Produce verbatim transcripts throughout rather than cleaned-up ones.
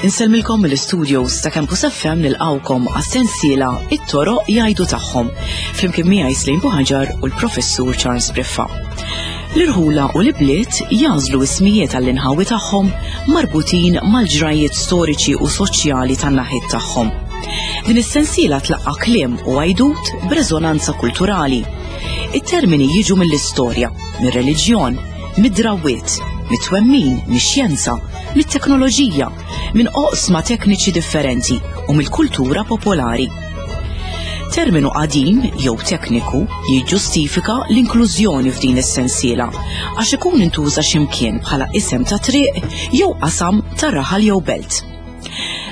Insellmilkom mill-studios ta' Campus F M nilqawkom għas-sensiela It-Toroq Jgħidu Tagħhom, flimkien miegħi Slim Buħaġar u l-Professur Charles Briffa. L-irħula u l-ibliet jażlu ismijiet għall-inħawi tagħhom marbutin mal-ġrajiet storiċi u soċjali tan-naħiet tagħhom. Din is-sensiela tlaqqa' kliem u għajdut b'reżonanza kulturali. It-termini jiġu mill-istorja, mir-reliġjon, mid-drawwiet, mit-twemmin, mix-xjenza, mit-teknoloġija, minn oqsma tekniċi differenti u mill-kultura popolari. Terminu qadim jew tekniku jiġġustifika l-inklużjoni f'din is-sensiela għax ikun intuża x'imkien bħala isem ta' triq jew qasam ta' raħal jew belt.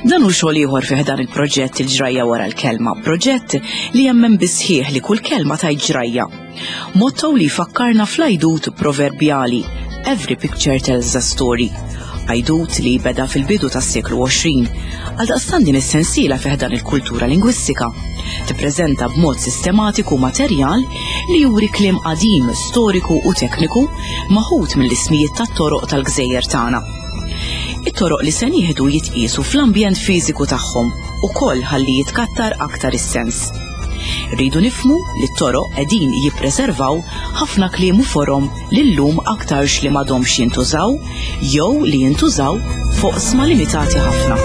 Dan hu xogħol ieħor fih dan il-proġett Il-Ġrajja Wara l-Kelma, proġett li jemmen bisħieħ li kull kelma tajt ġrajja. Motto li jfakkarna fl-għajdut proverbjali Every picture tells a story. Għajdut li beda fil-bidu tas-seklu għoxrin, għaldaqstant din is-sensiela fih dan il-kultura lingwistika. Tippreżenta b'mod sistematiku materjal li juri kliem qadim, storiku u tekniku maħut mill-ismijiet tat-toroq tal-gżejjer tagħna. It-toroq li se nieħdu jitqiesu fl-ambjent fiżiku tagħhom ukoll ħalli jitkattar aktar is-sens. Rridu nifhmu li t-toroq qegħdin jippreservaw ħafna kliem u forom li llum aktarx li m'għadhomx jintużaw jew li jintużaw fuq sma limitati ħafna.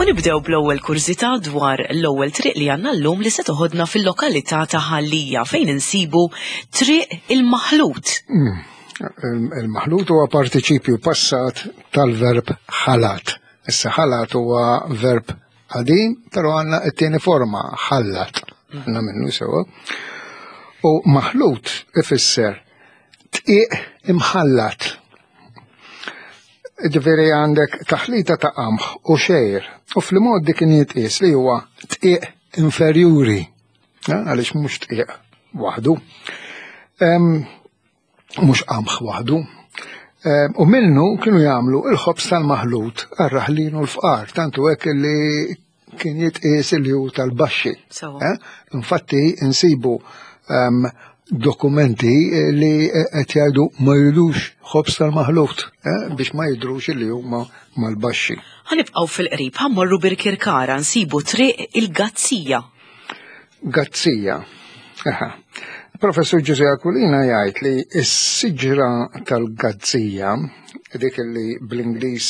U nibdew bl-ewwel kurżità dwar l-ewwel triq li għandna llum li se toħodna fil-lokalità ta' Ħal Lija fejn insibu Triq il-Maħlut. Mm. Il-maħlut huwa partiċipju passat tal-verb ħalat. Issa ħalat huwa verb qadim, però għandna t-tieni forma, ħallat. Għandna minnu sewa. U maħlut ifisser tqiq imħallat. Ġifieri għandek taħlita ta' qamħ u xejr, u fl-mod dik kien jitqies li huwa tqiq inferjuri, eh, għaliex mhux tqiq waħdu, Em, mhux qamħ waħdu. Em, u minnu kienu jagħmlu il-ħobż tal-maħlut għar-raħlin u l-fqar, tantu hekk li kien jitqies li hu tal-baxxi. Sewa. Eh? Infatti insibu, em, dokumenti li qed jgħidu ma jridux ħobż tal-maħlut, eh, biex ma jidrux li huma mal-baxxi. Ħanibqgħu fil-qrib, ħammorru Birkirkara nsibu Triq il-Gazzija. Gazzija. Aha. Professur Ġużè Aquilina jgħid li s-siġra tal-Gazzija, dik li bl-Ingliż,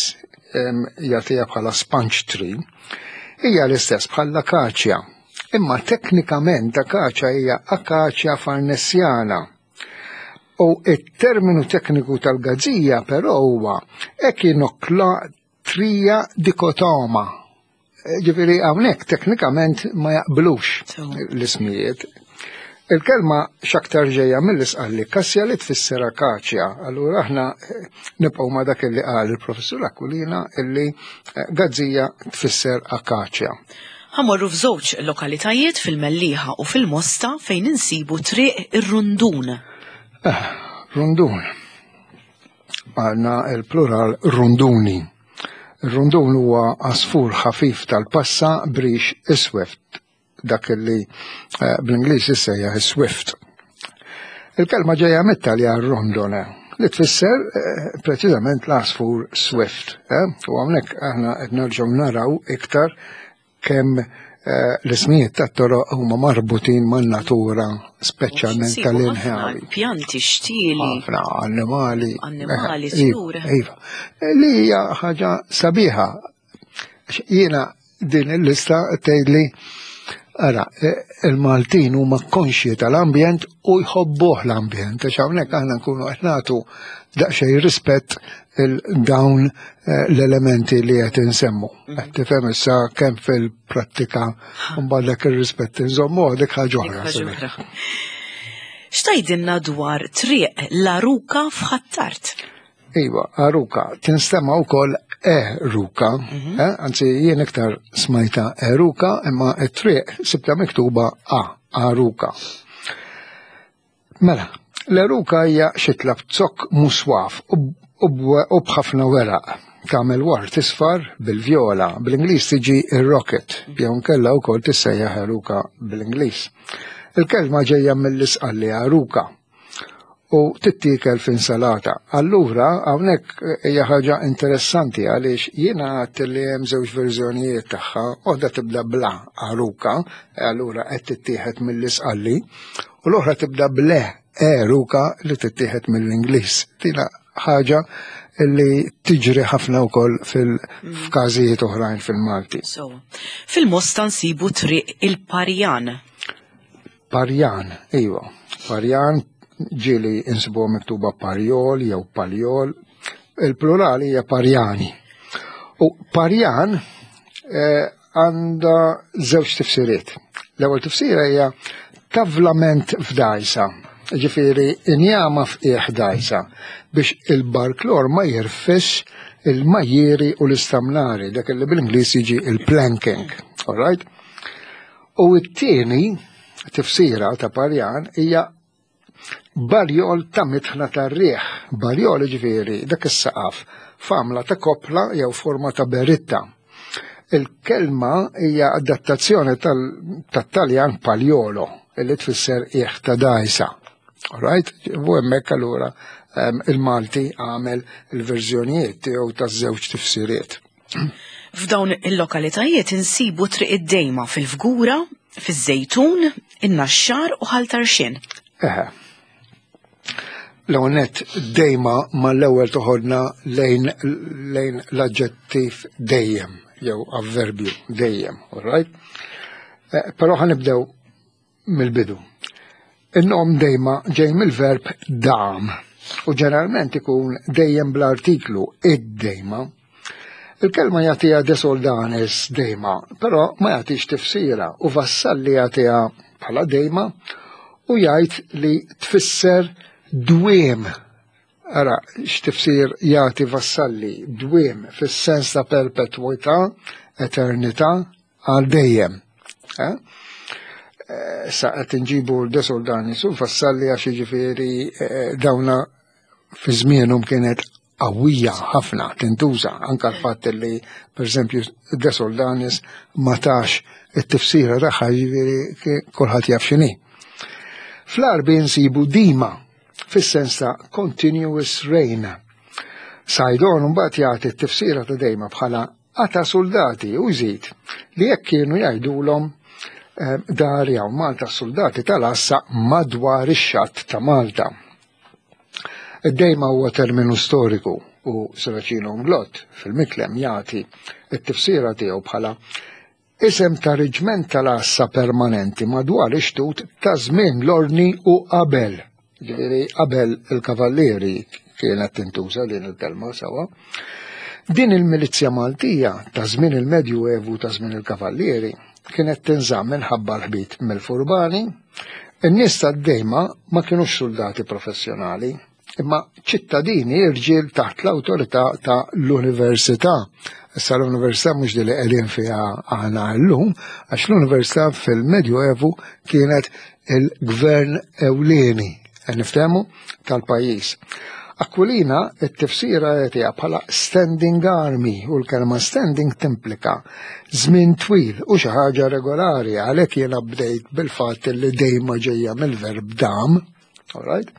em, jagħtiha bħala sponge tree, hija l-istess bħall-akaċja. Imma teknikament akaċja hija akaċja farnesiana. U it-terminu tekniku tal-gazzija però huwa echinoclatria dikotoma. Ġifieri hawnhekk teknikament ma jaqblux Sewa. l-ismijiet. Il-kelma x'aktar ġejja mill-isqalli kassja li tfisser akaċja. Allura aħna, eh, nibqgħu ma' dak li qal il-professur Aquilina illi, eh, gazzija tfisser akaċja. Ħamorru f'żewġ lokalitajiet fil-Mellieħa u fil-Mosta fejn insibu Triq ir-Rundun. Eh, rundun. Għandna il-plural runduni. Ir-rundun huwa għasfur ħafif tal-passa brix iswed, dak li, eh, bl-Ingliż issejjaħ swift. Il-kelma ġejja mit-Taljan rondone, li tfisser, eh, preċiżament l-għasfur swift. Eh? U hawnhekk aħna qed nerġgħu naraw iktar kemm, eh, l-ismijiet tat-toroq huma marbutin man-natura, speċjalment Nsibu tal-inħawi. ħafna pjanti, xtieli. Ħafna annimali. Annimali, Eh, iva, tjur. Iva. Li hija ħaġa sabiħa. Jiena din il-lista tgħidli ara, eh, il-Maltin huma konxji tal-ambjent u jħobbuh l-ambjent, għax hawnhekk aħna nkunu qed nagħtu daqsxejn rispett il-dawn, eh, l-elementi li qed insemmu. Qed tifhem issa kemm fil-prattika mbagħad dak ir-rispett inżommu dik ħaġa oħra. Dik ħaġa oħra. X'tgħidilna dwar Triq l-Aruka f'Ħ'Attard? Iva, Aruka tinstema' wkoll Eruka, eh, anzi jien iktar smajta Eruka, imma it-triq sibta miktuba A, Aruka. Mela, l-eruka hija xitla b'zokk muswaf u u b'ħafna weraq. Tagħmel ward isfar bil-vjola, bl-Ingliż tiġi ir-rocket, jew nkella wkoll tissejjaħ eruka bl-Ingliż. Il-kelma ġejja mill-Isqalli aruka u tittiekel f'insalata. Allura hawnhekk hija ħaġa interessanti għaliex jiena għedt li hemm żewġ verżjonijiet tagħha, waħda tibda bla aruka, allura qed tittieħed mill-Isqalli, u l-oħra tibda ble eruka li tittieħed mill-Ingliż. Tina ħaġa li tiġri ħafna wkoll fil-f'każijiet oħrajn fil-Malti. So, fil-Mosta nsibu triq il-Parjan. Parjan, iva. Parjan ġieli insibuha miktuba Parjol jew Paljol. Il-plurali hija Parjani. U Parjan eh, għandha żewġ tifsiriet. L-ewwel tifsira hija tavlament f'dajsa, ġifieri injama f'qiegħ dajsa biex il-barklor ma jirfis il-majjeri u l-istamnari, dak li bil-Ingliż jiġi il-planking. All right? U t-tieni tifsira ta' Parjan hija barjol ta' mitħna tar-riħ. Barjol ġifieri dak is-saqaf f'għamla ta' kopla jew forma ta' beritta. Il-kelma hija adattazzjoni tat-Taljan pagliolo, li tfisser qiegħ ta' dajsa. All right? U hemmhekk allura il-Malti għamel il-verżjonijiet tiegħu taż-żewġ tifsiriet. F'dawn il-lokalitajiet insibu triq id-Dejma fil-Fgura, fiż-Żejtun, in-Naxxar u Ħal Tarxien. Eħe. L-ewwel dejma mal-ewwel toħodna lejn lejn l-aġġettiv dejjem jew avverbju dejjem, all right? Eh, però ħa nibdew mill-bidu. Il-nom dejma ġej mill-verb dam u ġeneralment ikun dejjem bl-artiklu id-dejma. Il-kelma jagħtiha De Soldanis dejma, però ma jagħtix tifsira u Vassalli jagħtiha bħala dejma u jgħid li tfisser dwiem. Ara, x'tifsir jagħti Vassalli, dwiem fis-sens ta' perpetwità, eternità, għal dejjem. Eh? Sa qed inġibu De Soldanis u Vassalli għax jiġifieri eh, dawna fi żmienhom kienet qawwija ħafna tintuża, anka l-fatt li pereżempju De Soldanis ma tax it-tifsira tagħha, jiġifieri kulħadd jaf x'inhi. Fl-Għarbi nsibu dima fis-sens ta' continuous rain. Saydon mbagħad jagħti t-tifsira ta' dejma bħala qata soldati u jżid li jekk kienu jgħidulhom eh, dar jew Malta soldati tal-għassa madwar ix-xatt ta' Malta. Id-dejma huwa terminu storiku u Serracino Inglott fil-Miklem jagħti t-tifsira tiegħu bħala isem ta' reġment tal-għassa permanenti madwar ix-xtut ta' żmien l-ordni u qabel. Ġifieri qabel il-kavallieri kienet tintuża din il-kelma sawa. Din il-milizja Maltija ta' żmien il-Medju Evu ta' żmien il-kavallieri kienet tinżamm minħabba l-ħbit mill-furbani. In-nies tad-dejma ma kienux soldati professjonali, imma ċittadini irġiel taħt l-awtorità ta' l-università. Issa l-università mhux li qegħdin fiha aħna llum, għax l-università fil-Medju Evu kienet il-gvern ewlieni, niftehmu, tal-pajjiż. Aquilina it-tifsira jagħtiha bħala standing army u l-kelma standing timplika żmien twil u xi ħaġa regolari, għalhekk jiena bdejt bil-fatt li dejma ġejja mill-verb dam, all right?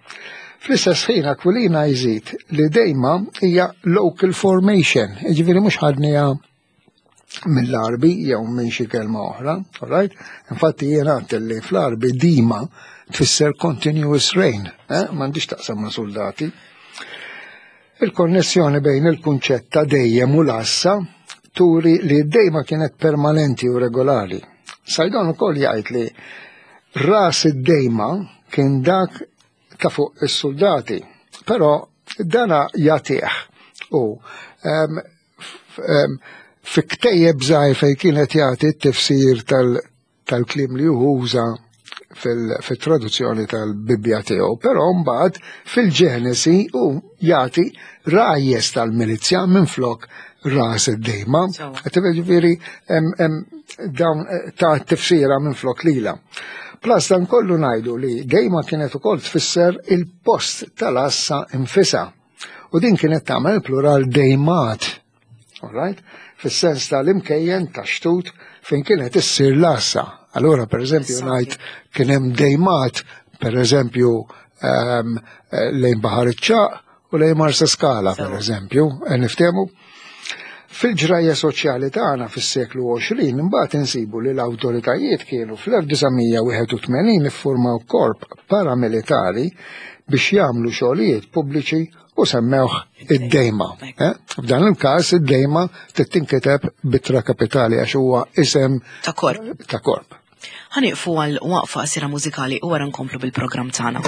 Fl-istess ħin Aquilina jżid li dejma hija local formation, jiġifieri mhux ħadniha mill-Għarbi jew minn xi kelma oħra, all right? Infatti jiena għedt li fl-Għarbi dima tfisser continuous rain, eh? M'għandix taqsam ma' soldati. Il-konnessjoni bejn il-kunċett ta' dejjem u l-għassa turi li d-dejma kienet permanenti u regolari. Saydon ukoll jgħid li ras id-dejma kien dak ta' fuq is-soldati, però dana jagħtih u em, f- em, fi ktejjeb żgħir fejn kienet jagħti t-tifsir tal- tal-kliem li uża Fil-traduzzjoni tal-Bibbja tiegħu, però mbagħad fil-Ġenesi u jagħti rajjes tal-milizja minflok ras id-dejma. Ġifieri dawn ta' tifsira minflok lila. Plus dan kollu ngħidu li dejma kienet ukoll tfisser il-post tal-assa infisa. U din kienet tagħmel plural dejmat. All right? Fis-sens tal-imkejjen ta' xtut fejn kienet issir l-assa. Allora, per eżempju, ngħid kien hemm dejmat, per eżempju, um, lejn Baħar iċ-Ċagħaq u lejn Marsa Skala, per eżempju, niftehmu. Fil-ġrajja soċjali tagħna fis-seklu għoxrin imbagħad insibu li l-awtoritajiet kienu fl-elf disa' mija wieħed u tmenin iffurmaw korp paramilitari biex jagħmlu xogħlijiet pubbliċi u semmewh id-dejma. Eh? F'dan il-każ id-dejma titinkiteb b'ittra kapitali għax huwa isem ta' korp. Ta' korp. Ħanieqfu għal waqfa qasira mużikali u wara nkomplu bil-programm tagħna.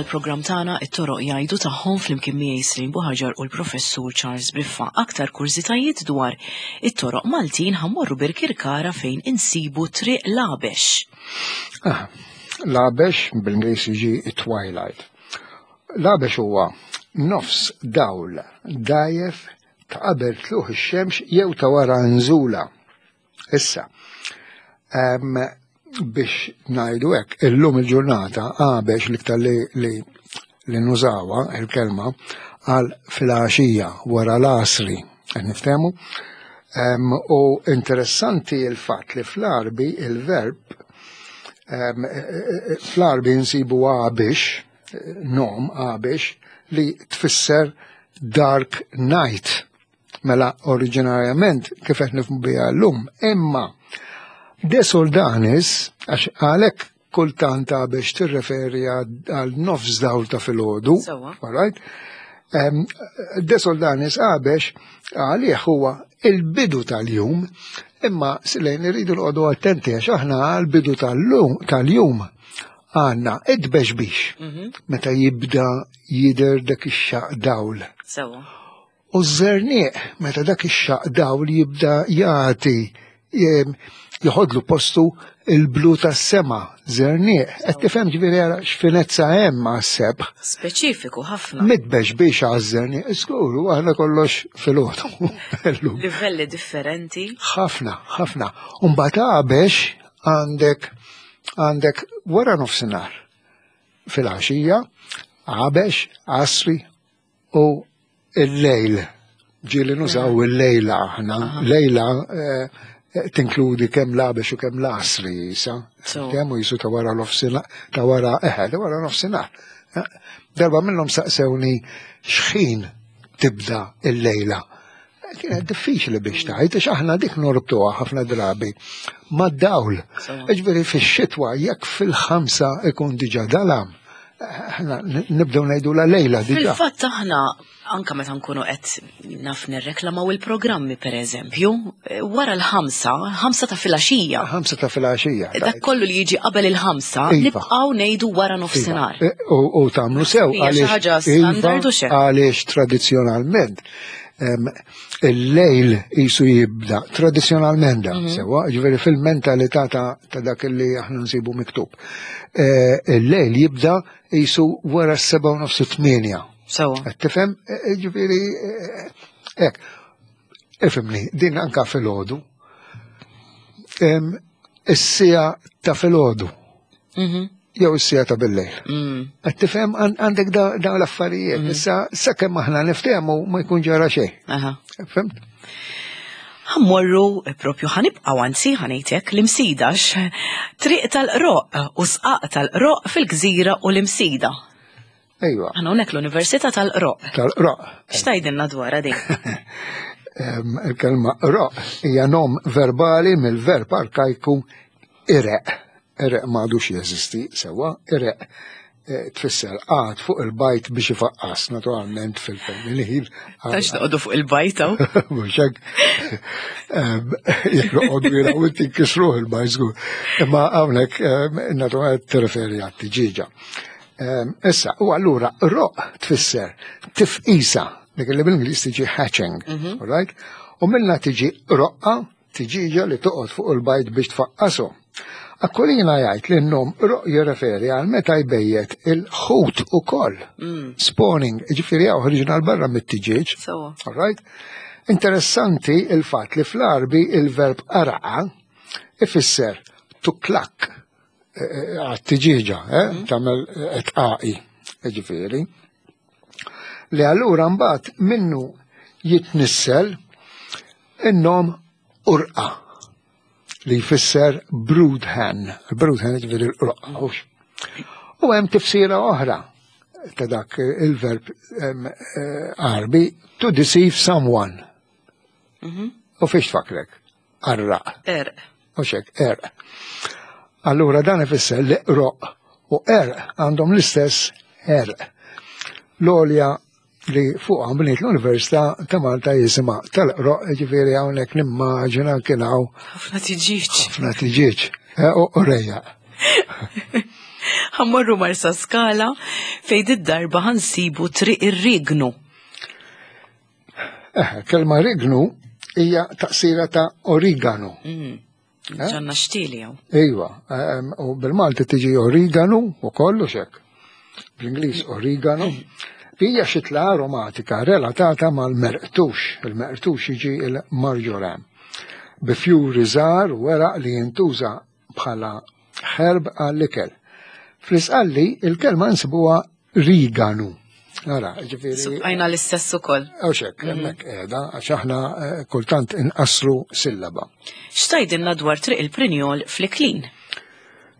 mal-programm tagħna It-Toroq Jgħidu Tagħhom flimkien miegħi Celine Buhagiar u l-Professur Charles Briffa. Aktar kurżitajiet dwar it-toroq Maltin, ħa mmorru Birkirkara fejn insibu Triq L-Għabex. Ah, L-għabex bil-Ingliż jiġi twilight. L-għabex huwa nofs dawl dgħajjef ta' qabel tlugħ ix-xemx jew ta' wara nżula. Issa, em, biex ngħidu hekk, illum il-ġurnata għabex l-iktar li, li, li nużawha il-kelma għal filgħaxija wara l-għasri, qed niftehmu. Em, u interessanti il-fatt li fl-Arbi il-verb em, e- e- e- fl-Arbi nsibu għabix, nom għabix, li tfisser dark night. Mela oriġinarjament kif qed nifhmu biha llum, imma De Soldanis, għax għalhekk kultant biex tirreferi għal nofs dawl ta' filgħodu, Sewwa. alright? Em, De Soldanis għabex għalih huwa il-bidu tal-jum, imma lejn irridu noqogħdu attenti għax aħna għal-bidu tal-lum tal-jum għandna id-bexbix meta jibda jidher dak ix-xaq dawl. Sewwa. U z-zerniq, meta dak ix-xaq dawl jibda jagħti jem, joħodlu postu il-blu tas-sema, zerniq. Qed tifhem, ġifieri ara x'finezza hemm għas-sebħ. Speċifiku ħafna. Mitbex biex għaż-żerniq, żgur, u aħna kollox filgħodu. Illum. Livelli differenti. Ħafna, ħafna. Umbagħad għabex għandek għandek wara nofsinhar fil-għaxija, għabex, għasri u il-lejl. Ġieli nużaw il-lejla aħna. Lejla eh, tinkludi kemm l-għabex u kemm l-għasri jisa. So. Kemm u jisu ta' wara nofsinhar, ta' wara, eħe, ta' wara nofsinhar. Eh, Darba minnhom saqsewni x'ħin tibda il-lejla. Kienet diffiċli biex tgħid, għax aħna dik norbtuha ħafna drabi mad-dawl. So. Ġifieri fix-xitwa jekk fil-ħamsa ikun diġà dalam, aħna nibdew ngħidu la lejla diġà. Fil-fatt aħna anka meta nkunu qed naf nirreklamaw il-programmi, per eżempju, eh, wara l-ħamsa, ħamsa ta' filgħaxija. Ħamsa ta' filgħaxija. Dak kollu li jiġi qabel il-ħamsa, Iva. nibqgħu ngħidu wara nofsinhar. Iva. U u tagħmlu sew Hija xi għaliex ħaġa standard u xejn. Għaliex tradizzjonalment em, il-lejl jisu jibda tradizzjonalment da, Mhm. sewwa, ġifieri fil-mentalità ta' ta' dak li aħna nsibu miktub. Eh, Il-lejl jibda jisu wara s-seba' u nofs, tmienja. Sewwa. Qed tifhem? Eh, Ġifieri eh, hekk. Ifhimni, din anka filgħodu. Em, Is-siegħa ta' filgħodu Mhm. jew is-siegħa ta' bil-lejl. Mm. Qed tifhem, għan- għandek da- dawn l-affarijiet. Issa sakemm aħna niftehmu ma jkun ġara xejn. Aha. Fhimt? Ħa mmorru eh, propju ħa nibqgħu, anzi ħa ngħidlek l-Imsida, Triq tal-Qroq u Sqaq tal-Qroq fil-Gżira u l-Imsida. Ejwa, Aħna hawnhekk l-Università tal-Qroq. Tal-qroq. X'tgħidilna dwar din? Em, Il-kelma qroq hija nom verbali mill-verb arkajku ireq. Ireq m'għadux jeżisti sewwa, ireq eh, tfisser qagħad fuq il-bajd biex ifaqqas, naturalment fil-femminil. Tax noqogħdu fuq il-bajd hawn. Mhux hekk. Em, jekk noqogħdu jiraw inti nkisruh il-bajd żgur. Imma hawnhekk em, naturalment tirreferi għat-tiġieġa. Em, Issa, u allura roq tfisser tifqisa, dik li bil-Ingliż tiġi hatching, all right? U minna tiġi roqqa, tiġiġa li toqgħod fuq il-bajd biex tfaqqasu. Aquilina jgħid li n-nom roq jirreferi għal meta jbejjet il-ħut ukoll. Spawning, ġifieri hawn ħriġna 'l barra mit-tiġieġ. Sewwa. All right? Interessanti il-fatt li fl-Arbi il-verb araqa ifisser to cluck għat-tiġieġa, eh, tagħmel tqaqi, ġifieri. Li allura mbagħad minnu jitnissel in-nom urqa li jfisser brood hen. Il-brood hen ġifieri l-qroqqa. Hux. U hemm tifsira oħra ta' dak il-verb em, eh, Arbi, to deceive someone. U fiex tfakrek? Arraq. Erq. U xek, erq. Allura dan ifisser li roq u erq għandhom l-istess erq. L-għolja li fuq bniet l-Università ta' Malta jisimha tal-Qroq, ġifieri hawnhekk nimmaġina kien hawn Ħafna tiġiġ. ħafna tiġieġ eh, u u rejja. Ħa mmorru Marsaskala fejn id-darba ħa nsibu Triq ir-Rignu. Eh, kelma rignu hija taqsira ta' origano. Mm. Ġanna xtili jew. Iva, em, u bil-Malti tiġi origano u kollu xek. Bl-Ingliż origano. Hija xitla aromatika relatata mal-merqtux. Il-merqtux jiġi il-marjoram. Bi fjuri żgħar u weraq li jintuża bħala herb għall-ikel. Fl-Isqalli il-kelma nsibuha riganu. Ara, ġifieri. Subqajna l-istess ukoll. Għawxek, hemmhekk qiegħda, għax aħna eh, kultant inqassru sillaba. X'tgħidilna dwar Triq il-Prinjol fl-Iklin?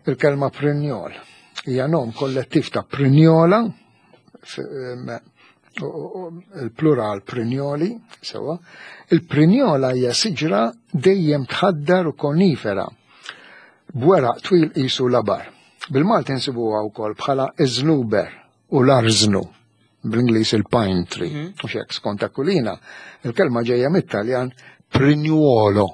Il-kelma prinjol hija nom kollettiv ta' prinjola, f- em, u- u- il-plural prinjoli, sewa. Il-prinjola hija siġra dejjem tħaddar u konifera, b'weraq twil qisu labar. Bil-Malti nsibuha wkoll bħala iżnuber u l-arżnu, bl-Ingliż il-pine tree. U xek, skont Aquilina, il-kelma ġejja mit-Taljan prignuolo.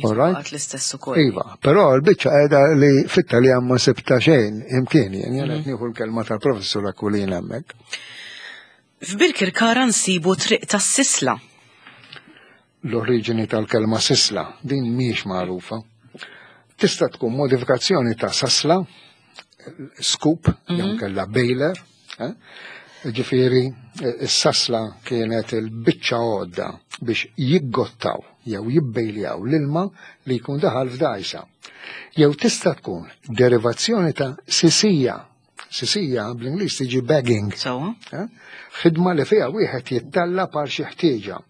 All right? Għat l-istess ukoll. Iva, però l-biċċa qiegħda li fit-Taljan ma sibta xejn imkien, jien jien qed nieħu l-kelma tal-professur Aquilina hemmhekk. F'Birkirkara nsibu Triq tas-Sisla. L-oriġini tal-kelma sisla, din mhijiex magħrufa. Tista' tkun modifikazzjoni ta' sasla, scoop, jew kella baler, eh? Ġifieri, is-sasla kienet il-biċċa għodda biex jiggottaw jew jibbejljaw l-ilma li jkun daħal f'dajsa. Jew tista' tkun derivazzjoni ta' sisija. Sisija bl-Ingliż tiġi begging. Sewa? Eh? Ħidma li fiha wieħed jittalla par xi ħtieġa.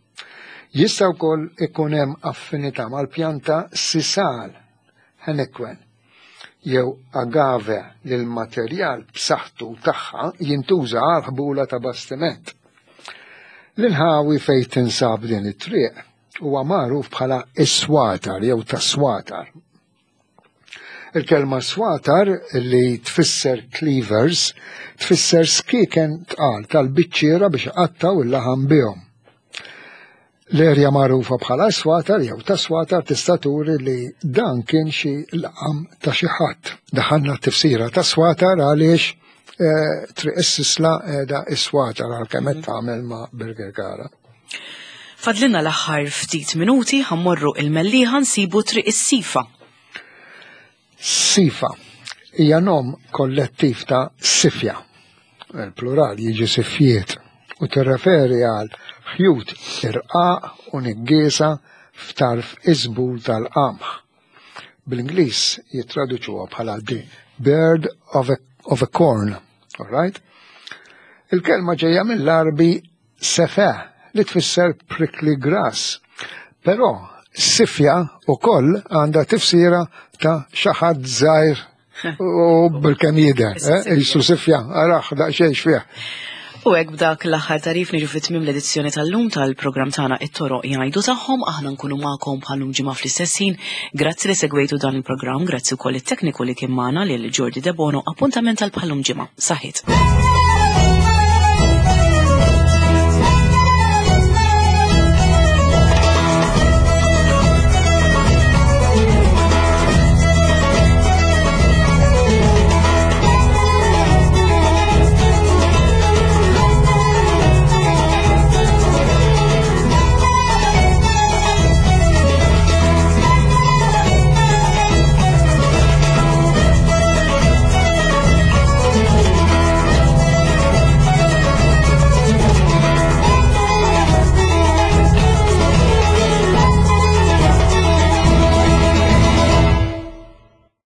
Jista' wkoll ikun hemm affinità mal-pjanta sisal, henequen, jew agave li l-materjal b'saħħtu tagħha jintuża għal ħbula ta' bastiment. L-inħawi fejn tinsab din it-triq huwa magħruf bħala is-swatar jew tas-swatar. Il-kelma swatar li tfisser cleavers tfisser skiken tqal tal-biċċiera biex iqattaw il-laħam bihom. L-erja magħrufa bħala swatar jew ta' swatar tista' turi li dan kien xi laqam ta' xi ħadd. Daħalna t-tifsira ta' swatar għaliex eh, Triq is-Sisla qiegħda is-swatar għalkemm qed tagħmel ma' Birkirkara. Fadlilna l-aħħar ftit minuti, ħa mmorru il-Mellieħa, nsibu Triq is-Sifa. Sifa hija nom kollettiv ta' sifja. Il-plural jiġi sifjiet u tirreferi għal ħjut irqaq u niggiesa f'tarf iżbul tal-qamħ. Bl-Ingliż jittraduċuha bħala the beard of a, of a corn. All right? Il-kelma ġejja mill-Arbi sefe li tfisser prickly grass. Però sifja ukoll għandha tifsira ta' xi ħadd żgħir u bil-kemm jidher, eh? Jisu sifja, araħ daqsxejn fih. U hekk b'dak l-aħħar tarif niġu fit-tmiem l-edizzjoni tal-lum tal-programm tagħna It-Toroq Jgħidu Tagħhom. Aħna nkunu magħkom bħal-lum ġimgħa fl-istess ħin. Grazzi li segwejtu dan il-programm, grazzi wkoll it-tekniku li kien magħna lil Jordi Debono. Appuntament tal bħal-lum ġimgħa. Saħħit.